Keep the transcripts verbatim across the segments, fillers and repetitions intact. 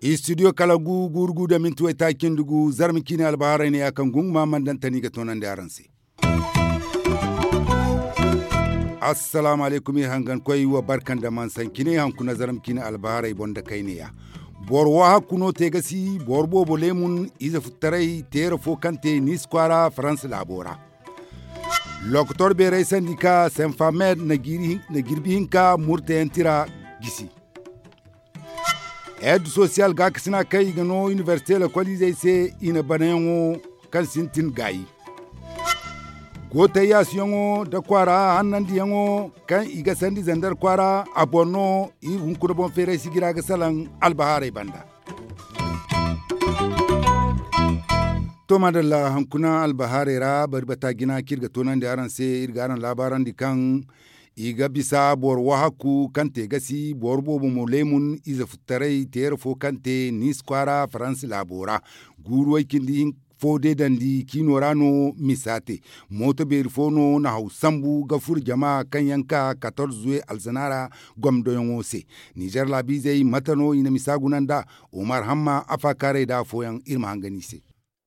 Istidiyo kala gu gurgu da minti waytaaci nda gu zarma ciine albaharay ne ya kaŋ gunguma mandantani ga toonandi araŋ se. Assalaamu alaykum iri hangankoy wa barka nda mansaŋ cine haŋ kuna zarma ciine albaharay boŋ da kayneya. Boro wahakku no te ga si boro boobo leemun ize futtaray teera fo kaŋ te niisi kwaara faransa laabo ra. Lokotor beeray sandi ka senfamed na jirbi hinka murtayaŋ tira gisi. Ed sosiyal gaakasina kaŋ i ga no inibersite lokoliizey se i na banayaŋo kaŋ sintin gaayi. Gootay yaasuyaŋo nda kwaara hannandiyaŋo kaŋ i ga sandi zandar kwaara a boŋ no iri hunkuna boŋ feeray sigira ga salaŋ albahaarey banda. To madalla hankuna albahaarey ra bari bata jina kaŋ iri ga toonandi araŋ se iri ga araŋ laabaarandi kaŋ i ga bisa boro wahakku kaŋ te gasi boro boobo mo leemun ize futtaray teera fo kaŋ te niisi kwaara faransa laabo ra. Guuru way cindi fo deedandi ciino ra no misa te. Mooto beeri fo no na haw sambu ga furo jama kaŋ yaŋ ka katorze zuwe alzana ra gomdoyaŋo se. Nizer laabiizey mate no i na misa guna nd'a? Umar hamma afaakaaray da afooyaŋ iri ma hangan i se.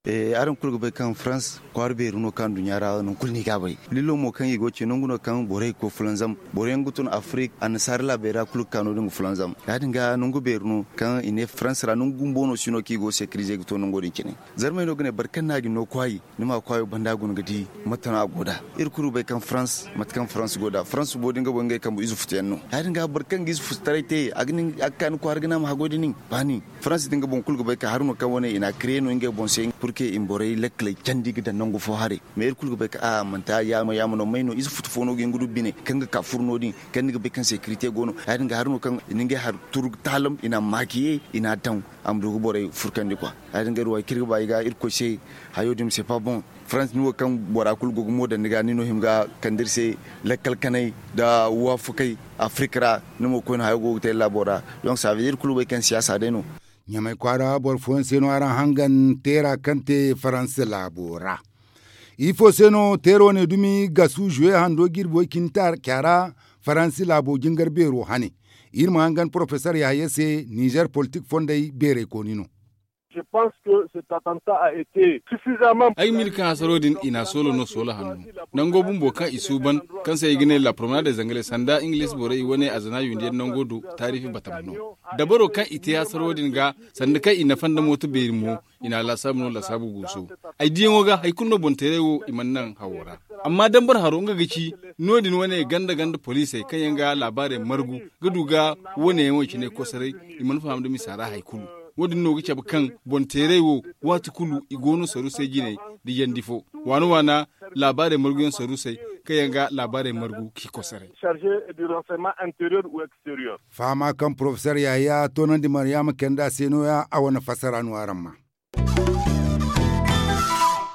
Araŋ kulu ga bay kaŋ farans kwaara beeri no kaŋ nduɲɲa ra nangu kulu no i ga a bay. Lillo mo kaŋ i go ga ce nangu no kaŋ borey ga koy fulanzam boro yaŋ ga tun afirik annasaara laabey ra kulu ga ka no- din ga fulanzam. Ya- din ga nangu beeri no kaŋ i ne farans ra nangu bumbo no si no kaŋ i go ga sekirize ga to nango din cine. Zarmey no ga ne boro kaŋ no a ga ni no kwaayi ni ma kwaayo banda guna ga di mate no a go nd'a. Iri kulu ga bay kaŋ farans mate kaŋ farans go nd'a farans bumbo da nga boŋ ngey kambe ize futu yaŋ no. Ya- din ga boro kaŋ ga ize futu taray te a ga ka ni kwaara ga ne a ma haggoy da nin ba nin. Farans din ga boŋ kulu ga bay ka hari no kaŋ wane i n'a kire no ngey boŋ se purke i ma borey lakkaley candi ga daŋ nangu fo haray. Mais iri kulu ga bay ka a manti a yaama yaama no may no ize futu fo no ga hin ga du bine kaŋ ga ka furo no- din kaŋ ni ga bay kaŋ sekirite go no. Ya- din ga hari no kaŋ i na ngey hari turu ga taalam i n'a maakiye i n'a daŋ a ma du ga borey furkandi kwa. Ya- din ga iri wo hari kaŋ iri ga ba i ga irkoy se hayo din ma se pa boŋ. Farans ni wo kaŋ bora kulu go ga mo daŋ ni ga ni no hima ga kande iri se lakkal kanay nda waafakay afirik ra. Ni mo koyne hayo go ga te laabo ra. Donc savedir kulu bay kaŋ siyaasa day no. Ɲamay kwaara boro fooyaŋ se no araŋ hangan teera kaŋ te faransa laabo ra. Ifo se no teero ne dumi gasu zuwe hando jirbi way cindi taaca ra faransa laabo jingar beero hane. Iri ma hangan porofesor yahaya se nizer politik fondey beeraykooni no. Ay ga miri kaŋ hasaro din i n'a soolo no soolo hanno nango bumbo kaŋ i suuban kaŋ se i ga ne la promenade des anglais sanda ingiliz borey i wane a zana yundiyaŋ nango do taarifi batama no. Dabaro kaŋ i te hasaro din ga sanda kaŋ i nafa nda mooto beeri mo i n'a laasaabu no laasaabu guuso. Ay diyaŋo ga hari kulu no boŋ teeray wo i mana naŋ hawo ra. Amma dambar haro nga ga ci no- din wane ganda ganda poliisey kaŋ yaŋ ga laabaarey margu ga du ga wane yaŋo cine kosoray. I mana faham nda misa ra hari kulu. Wo- din no ga cabe kaŋ boŋ teeray wo waati kulu i go no sarusay jinay da yandi fo waana waana laabaarey marguyaŋ sarusay kaŋ yaŋ ga laabaarey margu k'i kosoray. Fahama kaŋ porofesor yahaya toonandi maryaama kayna nd'a se no- ya a wane fassara no araŋ ma.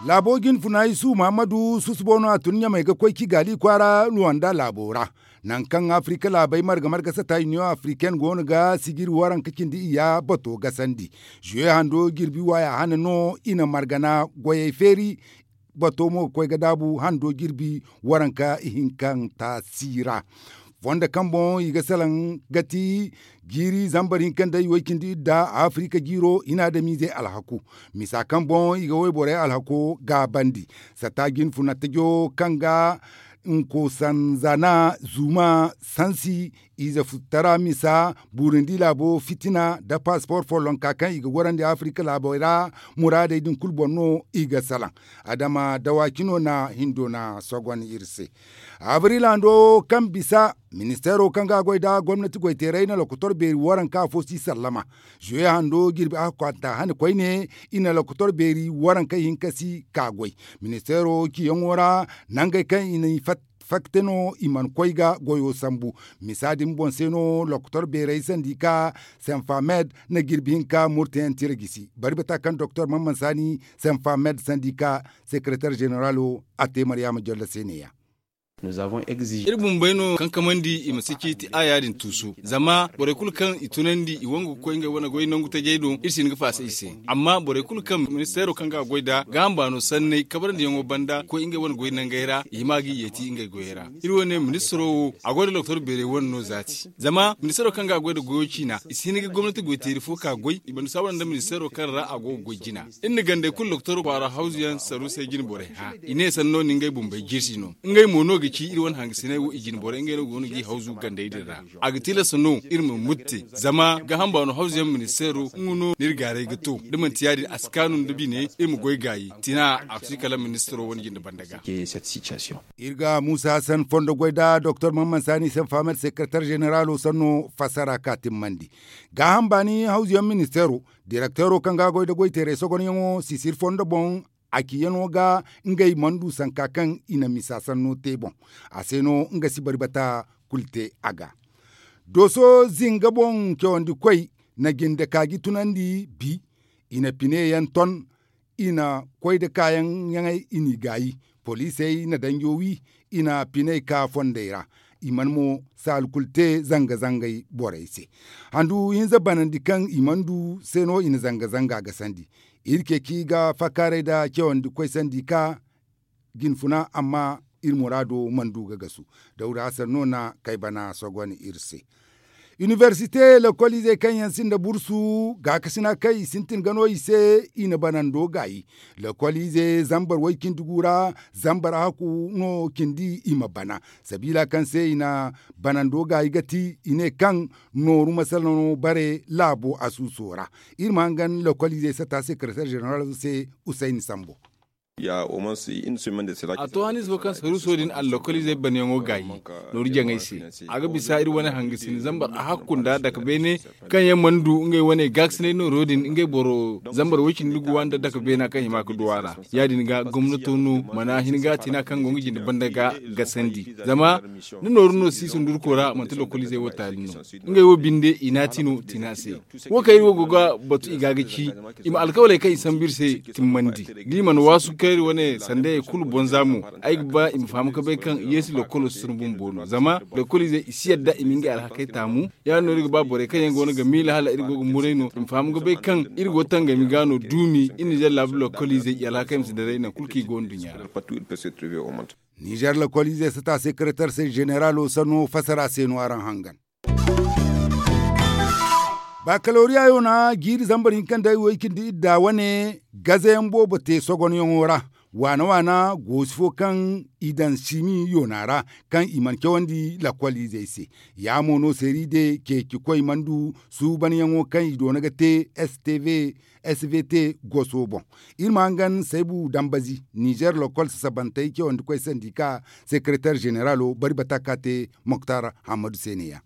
Laabo jinfuna isu muhammadu susubo no a tun ɲamey ga koy ci gaali kwaara ruwanda laabo ra. Nangu kaŋ afirika laabey marga marga sata iniyoŋ afiriken go no ga sijiri waranka cindi iyya bato gasandi. Zuwe hando jirbi waaya hane no i na margana goyey feeri. Bato mo ga koy ga daabu hando jirbi waranka ihinkanta si ra. Fondo kaŋ boŋ i ga salaŋ ga ti jiiri zambar hinka nda iway cindi idda afirika jiiro i na adamiizey alhaku. Misa kaŋ boŋ i ga wayborey alhako gaabandi. Sata jinfuna tajo kaŋ ga nkosanzana zuma sansi ize futtara misa burundi laabo fitina nda pasipor follonka kaŋ i ga gorandi afirika laabey ra. Muraadey din kulu boŋ no i ga salaŋ. Adama dawaci no na hindo na sogon iri se. Abril hando kaŋ bisa ministeero kaŋ ga a goy nda gomnati goyteerey na lokotor beeri waranka afo si sallama. Zuwe hando jirbi a kwanta hane koyne i na lokotor beeri waranka hinka si ka goy. Ministeero ciyaŋo ra nangey kaŋ i na i fatta no i mana koy ga goyo sambu. Misa din boŋ se no lokotor beerey sandi ka senfamed na jirbi hinka murtayaŋ tira gisi bari bata kaŋ doktor mamman saani senfamed sandi ka sekereter zeneralo a te maryaama jolla se ne- ya. Iri bumbey no kankamandi i ma si ciiti a yaadin tuusu zama borey kulu kaŋ i tunandi i wangu ga koy ngey wane goy nangu tajey do iri si hin ga faasa i se. Amma borey kulu kaŋ ministeero kaŋ ga a goy nd'a gaaham baano sanney kabrandi yaŋo banda ga koy ngey wane goy nangey ra i hima ga i yeeti ngey goyey ra. Iri wane ministaro wo a goy nda doktor beerey wane no zaati zama ministaro kaŋ ga a goy nda goyo ciina i si hin ga gomnati goyteeri fo ka goy i mana saawara nda ministaro kaŋ ra a go ga goy jina. Iri na gandey kulu doktor kwaara hawzu yaŋ saruusey jine borey hã i ne sanno na ngey bumbey jirsi no. Ngey mo no ga ci iri wane hangasiney wo i jine borey ngey no go no g'i hawzu gandey din ra. A ga tilas no iri ma mutte zama gaaham baano hawzu yaŋ ministeero nga no no iri gaaray ga to da manti yaadin a si kaanu nda bine iri ma goy gaayi tina a si kala ministeero wane jinde banda ga. Iri ga muusa hassan fondo goy nda doktor mamman saani se faamer sekretar zeneraalo sanno fassara ka timmandi. Gaaham baani hawzu yaŋ ministeero direkteero kaŋ ga a goy nda goyteeray sogonyaŋo sisir fondo boŋ a ci yaŋo ga ngey mana du sanka kaŋ i na misa sanno te boŋ. A se no nga si bari bata kulu te a ga. Dooso zinga boŋ cawandi koy na jinde kaaji tunandi bi. I na pine yaŋ ton i na koy nda kaayaŋ yaŋey i n'i gaayi. Poliisey na danjo wi i na piney ka fondey ra. I mana mo saali kulu te zanga-zangey borey se. Handu hinza banandi kaŋ i mana du se no i na zanga-zanga gasandi. Iri ceeci ga fakkaaray nda cawandi koy sandi ka jinfuna amma iri muraado mana du ga gasu. Dawda hasan no na kay bana sogon iri se. Inibersite lokoliizey kaŋ yaŋ sinda bursu gaakasina kaŋ i sintin ga no i se i na banando gaayi. Lokoliize zambar way-cindi gu ra zambar haku no cindi i ma bana. Sabiila kaŋ se i na banando gaayi ga ti i ne kaŋ nooru masala no bare laabo asuuso ra. Iri ma hangan lokoliizey sata sekretar zeneral se usayni sambo. A to hanize fo kaŋ saruuso din allokoliizey banyaŋo gaayi nooru jaŋay se. A ga bisa iri wane hangasin zambar a hakku nda dake beene kaŋ yaŋ mana du ngey wane gaakasinay nooro din ngey boro zambar way-cindi guwa nda dake beena kaŋ hima ga du a ra. Ya- din ga gomnato no mana hin ga tina kaŋ go nga jinde banda ga gasandi zama da nooru no si sundurko ra manti lokoliizey wo taali no. Ngey wo binde i naati no tina se. Wo kaŋ iri wo go ga batu i ga ga ci i ma alkawaley kaŋ i sambu iri se timmandi. Da i mana waasu kaŋ iri wane sandayey kulu bonza mo ay ga ba i ma faham ga bay kaŋ yeesi lokolo si tun bumbo no zama lokoliizey i si yadda i ma ngey alhakey taamu. Ya- din no iri ga ba borey kaŋ yaŋ go no ga miila hala iri go ga muray no i ma faham ga bay kaŋ iri go tangami ga no duumi iri nizer laabu lokoliizey i alhakey ma si daray nangu kulu kaŋ i go nduɲɲa ra. Nizer lokoliizey sata sekretar se zeneraalo sanno fasara se no araŋ hangan. Bakaloriya yoona jiiri zambar hinka nda way-cindi idda wane gazayaŋ boobo te sogonyaŋo ra. Waana waana goosi fo kaŋ i daŋ simi yoona ra kaŋ i mana cawandi lakoliizey se. Ya mo no seeri de ceeci koy mana du suubanyaŋo kaŋ i doona ga te stv svt goso boŋ. Iri ma hangan saybu dambazi nizer lokol sasabantey cawandi koy sandika sekretar zeneraalo bari bata ka te moktar hammadu se ne- ya.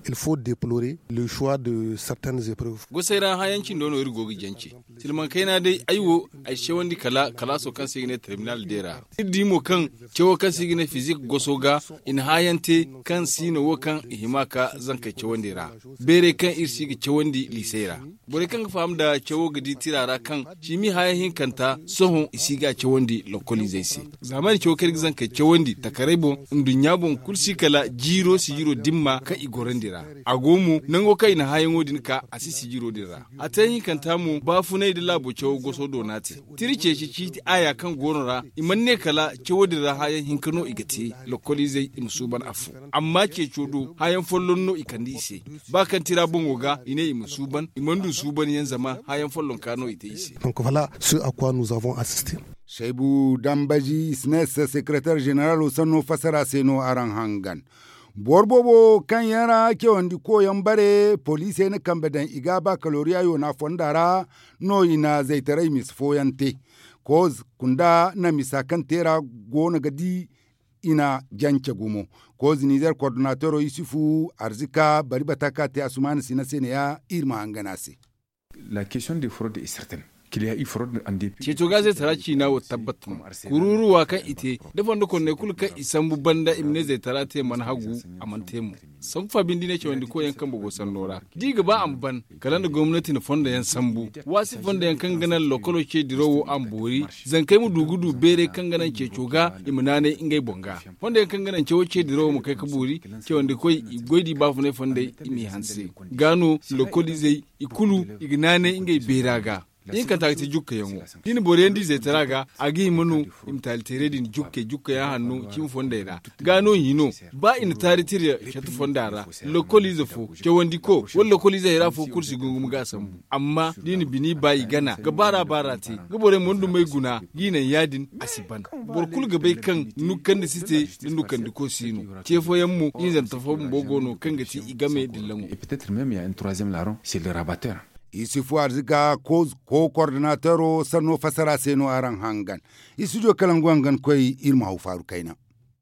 Il faut deplorer le choix de certaines epreuves. Gosey ra hãyaŋ cindo no iri go ga jance. Silmaŋ kayna day ay wo ay si cawandi kala kalaaso kaŋ se i ga ne terminal de ra. Iri di mo kaŋ cawo kaŋ se i ga ne fizik goso ga i na hãyaŋ te kaŋ siino wo kaŋ i hima ka zankey cawandi ra. Beerey kaŋ iri si ga cawandi liisey ra. Borey kaŋ ga faham nda cawo ga di tira ra kaŋ ciimi haya hinkanta sohõ i si ga cawandi lokoliizey se. Zaamani cawo kaŋ iri ga zankey cawandi takaray boŋ nduɲɲa boŋ kulu si kala jiiro sijiro dimma kaŋ i gorandi ra. A go mo nango kaŋ i na hayaŋo din ka a si sijiro din ra. A te hinkanta mo baafunay nda laabo cawo goso do no a te. Tira ceeci ciiti aaya kaŋ go no ra i mana ne kala cawo din ra hayaŋ hinka no i ga te lokoliizey i ma suuban afo. Amma ceeco do hayaŋ folloŋ no i kande i se. Ba kaŋ tira boŋo ga i ne i ma suuban i mana du suubanyaŋ zama hayaŋ follonka no i te i se. Donc voilà ce à quoi nous avons assisté. Saybu dambazi snes sekretar zeneralo sanno fasara se no araŋ hangan. Boro boobo kaŋ yaŋ ra cawandi koyaŋ bare poliisey na kambe daŋ i ga bakaloriya yoona fonda ra no i na zaytaray misa fooyaŋ te. Koz kunda na misa kaŋ te ra go no ga di i na jance gumo. Koz nizer kordonatero yusufu arzika bari bata ka te asumaana sina se ne ya iri ma hangan a se. La question de fraude est certaine. Ceeto ga zaytara ciina wo tabbat no. Kururuwa kaŋ i te da fondo konney kulu kaŋ i sambu banda i ma ne zaytara te mana hagu, a mana te mo. Sanku fa binde i ne cawandi koyyaŋ kambe go sanno ra da i ga ba a ma ban, kala nda gomnati na fondo yaŋ sambu. Waasi fondo yaŋ kaŋ ga naŋ lokolo ce dirawo a ma boori, zankey ma du ga du beeray kaŋ ga naŋ ceeco ga i ma naanay ngey boŋ ga. Fondo yaŋ kaŋ ga naŋ cawo ce dirawo ma kay ga boori, cawandi koy i ga goy da i baafunay fondey i m'i hanse. Ga no lokoliizey i kulu i ga naanay ngey beera ga. Ihinkanta ga ti jukkayaŋo da i na boro yaŋ di zaytara ga, a ga hima no i ma taali teeray din jukkey jukkayaŋ hanno cimi fondey ra. Ga no hino, ba i na taari tira catu fonda ra, lokoliize fo, cawandi ko wala lokoliize hayra fo kulu si gungum ga a sambu. Amma da i na bini ba i gana ga baara baara te ga borey mana dumey guna, ga i naŋ ya- din a si ban. Boro kulu ga bay kaŋ nukkandi si te, da nukkandi ko si no. Ce fooyaŋ mo hinzanta fo bumbo go no kaŋ ga ti i game dillaŋo. Isufu arziga ko kordinateero sanno fassara se no araŋ hangan. Istudiyo kalangu hangan koy iri ma haw faaru kayna.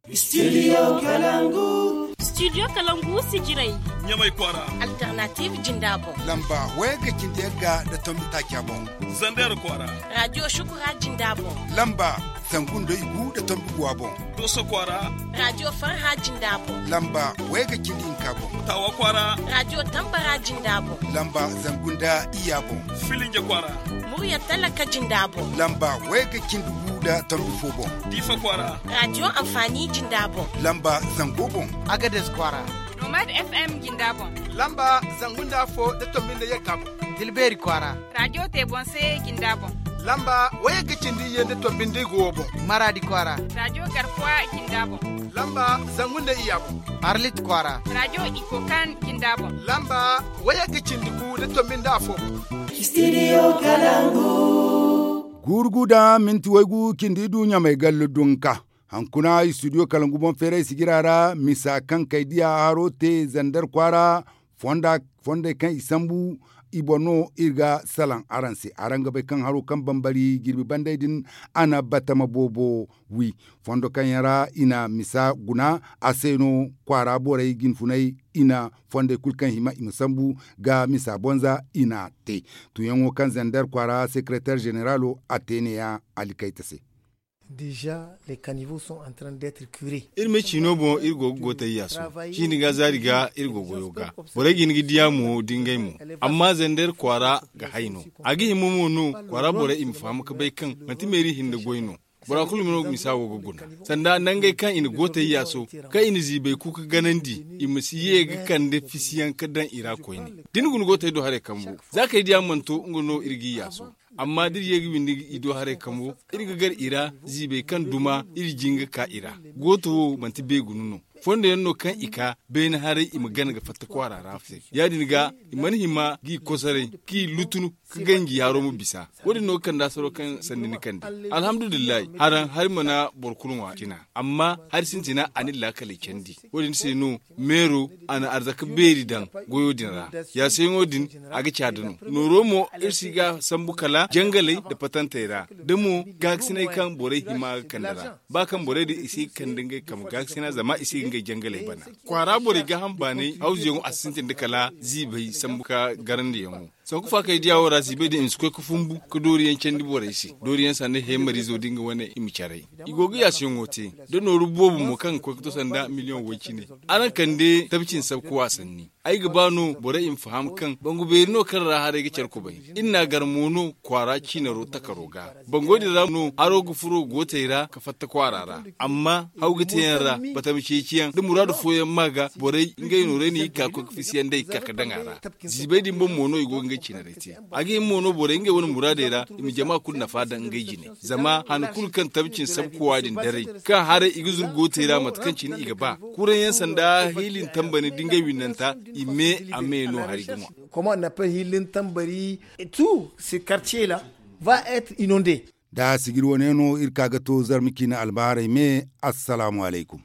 Istudiyo kalangu. Istudiyo kalangu sijirey. Ɲamay kwaara. Alternative jinda boŋ. Lamba wayagga cindi yagga nda tombi taaca boŋ. Zander kwaara. Raadiyo shukura jinda boŋ. Lamba zangu nda igu nda tombi guwa boŋ. Dooso kwaara. Raadiyo farha jinda boŋ. Lamba wayagga cindi hinka boŋ. Taawa kwaara. Raadiyo tambara jinda boŋ. Lamba zangu nda iyya boŋ. Filinje kwaara. Murya talaka jinda boŋ. Lamba wayagga cindi gu nda tombi fo boŋ. Diifa kwaara. Raadiyo anfaani jinda boŋ. Lamba zango boŋ. Agades kwaara. Nomad FM jinda boŋ. Lamba zangu nda afo nda tombi nda yagga boŋ. Dilbeeri kwaara. Raadiyo te boŋ se jinda boŋ. Lamba wayagga cindi iyye nda tombi nda igu wo boŋ. Maraadi kwaara. Raadiyo garkuwa jinda boŋ. Lamba zangu nda iyya boŋ. Arlit kwaara. Raadiyo ikokan jinda boŋ. Lamba wayagga cindi gu nda tombi nda afo boŋ. Istudiyo kalangu. Guuru gu da minti waygu cindi du ɲamay gallu dunka. Hankuna istudiyo kalangu boŋ feeray sijira ra misa kaŋ kay diya haro te zander kwaara. Fondey kaŋ i sambu i boŋ no iri ga salaŋ araŋ se araŋ ga bay kaŋ haro kaŋ bambari jirbi banday din a na batama boobo wi. Fondo kaŋ yaŋ ra i na misa guna a se no kwaara borey jinfunay i na fondey kulu kaŋ hima i ma sambu ga misa bonza i na te. Tuyaŋo kaŋ zander kwaara sekereter zeneralo a te ne- ya alikayta se. Iri me ciino boŋ iri go ga gootay yaaso. Ciini ga zaari ga iri go goyo ga. Borey ga hin ga diya mo da ngey mo. Amma zander kwaara ga hay no. A ga hima mo no kwaara borey i ma faham ga bay kaŋ manti meeri hinne goy no. Bora kulu no misa wo ga guna sanda nangey kaŋ i na gootay yaaso kaŋ i na ziibay kuuka ganandi. I ma si ye ga kande fisiyaŋ ga daŋ i ra koyne. Da ni guna gootay do haray kambu za kay diya mana to nga no iri ga i yaaso. Amma da iri ye ga windi i do haray kambu iri ga gar i ra. Ziibay kaŋ duma iri jin ga ka i ra. Gooto wo manti beegunu no. Fondo yaŋ no kaŋ i ka beene haray i ma gana ga fatta kwaara ra se. Ya- din ga i mana hima ga i kosoray ga i lutunu ga ganji haro ma bisa. Wo- din no ga kande asaro kaŋ sanni ni kande. Alhamdulillahi haraŋ hari mana boro kulu ŋwa cina. Amma hari sintina a na iri laakaley candi. Wo- din se no meero a na arzaka beeri daŋ goyo din ra. Yaasayaŋo din a ga caada no. Nooro mo iri si ga sambu kala jangaley nda patantey ra da mo gaakasinay kaŋ borey hima ga kande ra. Ba kaŋ borey din i si ga kande ngey kambe gaakasina zama i si ga ngey jangaley bana. Kwaara borey gaaham baanay hawzuyaŋo a si sintin nda kala ziibay sambu ka garandiyaŋo. Sanku faakay diya wo ra ziibay din i ma si koy ga fumbu ga dooriyaŋ candi borey se. Dooriyaŋ sanda heemariizo da nga wane i ma caray. I go ga yaasiyaŋo te da nooru boobo mo kaŋ ga koy ga to sanda miliyoŋ way- cine. Araŋ kande tabcin sabkuwa sanni. Ay ga ba no borey i ma faham kaŋ bangu beeri no kaŋ ra haray ga care kubay. Iri n'a gar mo no kwaara ciinaro takaro ga. Bango din ra no haro ga furo gootey ra ga fatta kwaara ra. Amma haw ga te yaŋ ra batama ceeciyaŋ da muraadu fooyaŋ ma ga borey ngey nooray no i ga ka ga koy ga fisiyaŋ day ga ka ga daŋ a ra. Ziibay din boŋ mo no i go ga ngey ciinaray te. A ga hima mo no borey ngey wane muraadey ra i ma jama kulu nafa daŋ ngey jine. Zama han kulu kaŋ tabcin sabkuwa din daray kaŋ haray i ga zuru gootey ra mate kaŋ cine i ga ba. Kuraŋ yaŋ sanda hiilin tambari da ngey winnanta i me a me no hari ga ŋwa. Comment on appelle hiilin tambari? Tout ce quartier là va être inondé. Da sijiri wane no iri ka ga to zarma ciine albaharay me. Assalaamu alaykum.